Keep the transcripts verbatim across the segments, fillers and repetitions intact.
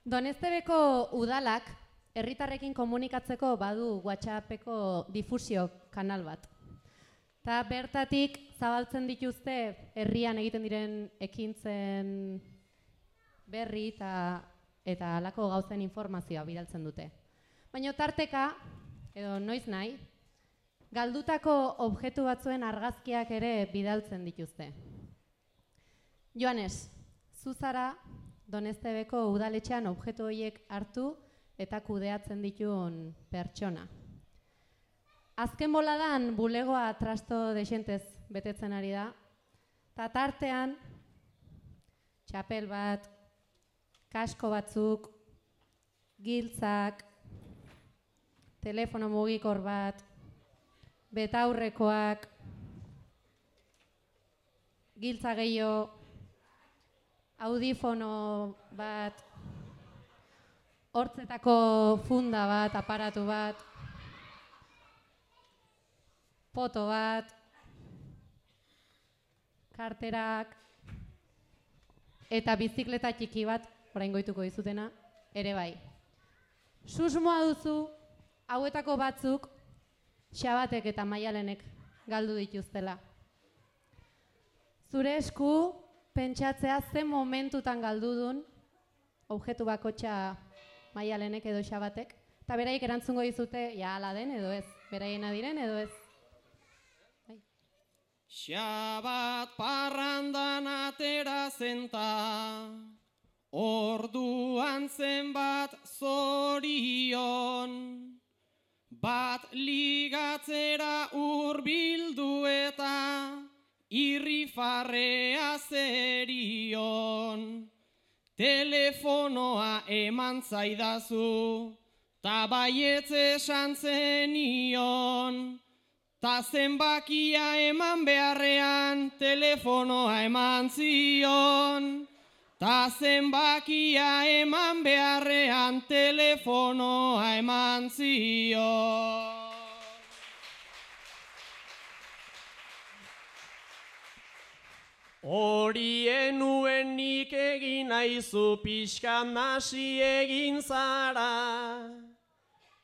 Doneztebeko udalak herritarrekin komunikatzeko badu WhatsAppeko difusio kanal bat. Ta bertatik zabaltzen dituzte herrian egiten diren ekintzen berri eta eta halako gauzen informazioa bidaltzen dute. Baina tarteka, edo noiz nahi, galdutako objektu batzuen argazkiak ere bidaltzen dituzte. Joanes, zu zara Doneztebeko udaletxean objektu horiek hartu eta kudeatzen dituen pertsona. Azken boladan bulegoa trasto dexentez betetzen ari da, eta tartean txapel bat, kasko batzuk, giltzak, telefono mugikor bat, betaurrekoak, giltza gehiago, audifono bat, hortzetako funda bat, aparatu bat, foto bat, karterak, eta bizikleta txiki bat, orain goituko dizutena, ere bai. Susmoa duzu, hauetako batzuk, Xabatek eta Maialenek galdu dituztela. Zure esku, pentsatzea ze momentutan galdudun, objektu bakotxa Maialenek edo Xabatek, eta beraiek erantzungo dizute, ja ala den edo ez, beraiena diren edo ez. Xabat parrandan atera zenta, orduan zenbat zorion, bat ligatzera hurbildu eta irrifarrea zerion. Telefonoa eman zaidazu, ta baietz esan zenion. Ta zenbakia eman beharrean, telefonoa eman zion. Ta zenbakia eman beharrean, telefonoa eman zion. Horien nuen nik egin aizu pixkan nasi egin zara.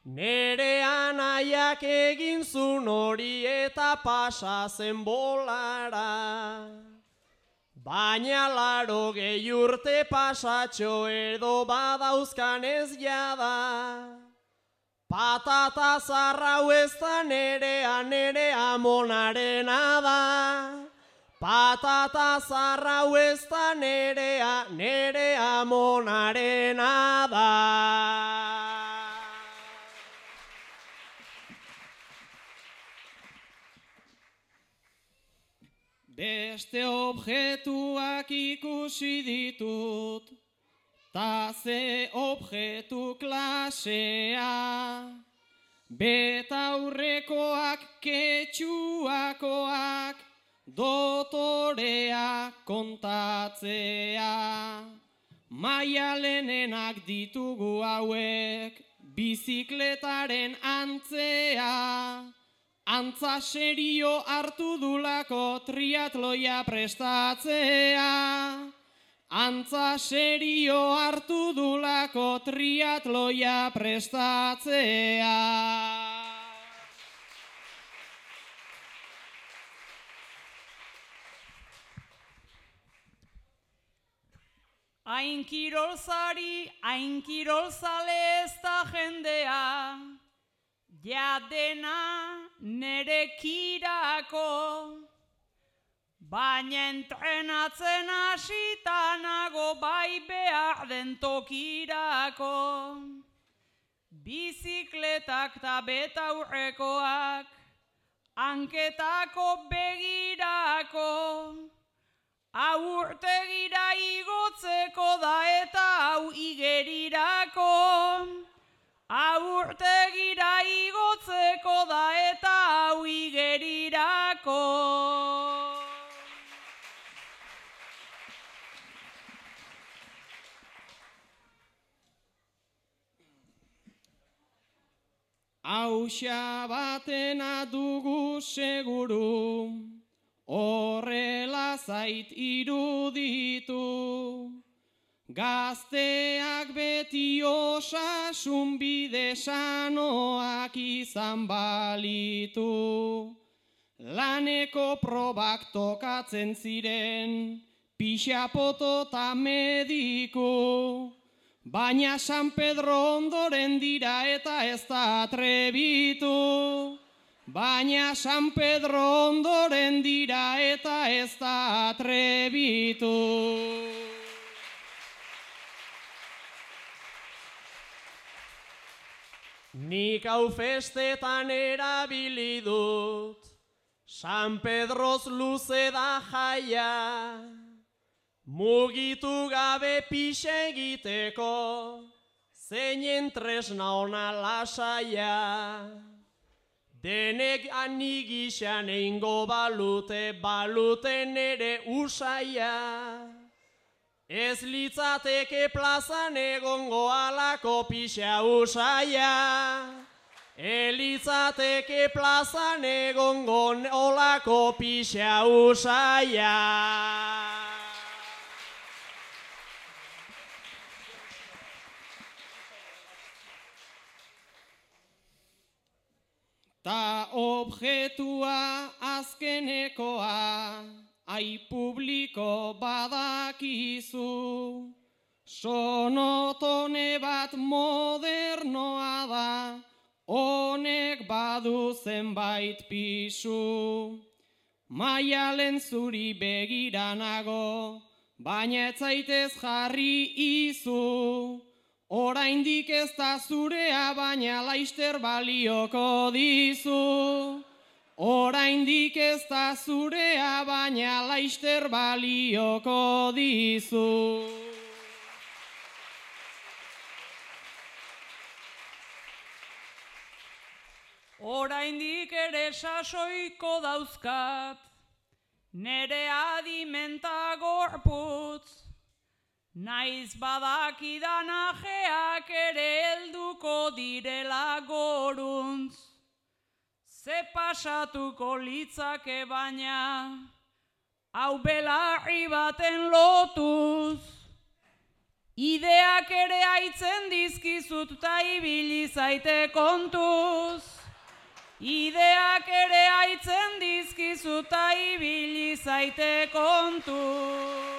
Nere anaiak egin zun hori eta pasa zen bolara. Baina laro gehi urte pasatxo edo badauzkan ez jada. Patata zarrau ez da nerea, nerea monarena da. Patata zarrau ez da nerea, nerea monarena da. Beste objektuak ikusi ditut, ta ze objektu klasea. Betaurrekoak, ketxuakoak, dotorea kontatzea. Maialenenak ditugu hauek, bizikletaren antzea. Antza serio hartu dulako triatloia prestatzea. Antza serio hartu dulako triatloia prestatzea. Hain kirolzari, hain kirolzale ez da jendea. Ja dena nerekirako, baina entrenatzen hasitanago bai behar den tokirako. Bizikletak ta betaurrekoak, hanketako begirako, hau urtegira igotzeko da eta hau igerirako. Hau urtegira igotzeko da eta hau igerirako. Hau Xabatena dugu seguru, horrela zait iruditu. Gazteak beti osasun bide sanoak izan balitu. Laneko probak tokatzen ziren, pixapoto ta mediku. Baina San Pedro ondoren dira eta ez da atrebitu. Baina San Pedro ondoren dira eta ez da atrebitu. Nik hau festetan erabili dut, San Pedroz luze da jaia, mugitu gabe pixe egiteko, zeinen tresna ona lasaia. Denek anigixan eingo balute, baluten ere usaia. Ez litzateke plazan egongo alako pixa usaia. Elitzateke plazan egongo olako pixa usaia. Ta objetua azkenekoa, ai publiko badakizu, sonotone bat modernoa da, honek badu zenbait pisu. Maialen zuri begiranago, baina ez zaitez jarri izu. Oraindik ez da zurea, baina laister balioko dizu. Oraindik ez da zurea, baina laister balioko dizu. Oraindik ere sasoiko dauzkat, nere adimenta gorputz. Naiz badakidan ajeak ere helduko direla goruntz. Ze pasatuko litzake baina, hau belarri baten lotuz. Ideak ere aitzen dizkizut ta ibili zaite kontuz. Ideak ere aitzen dizkizut ta ibili zaite kontuz.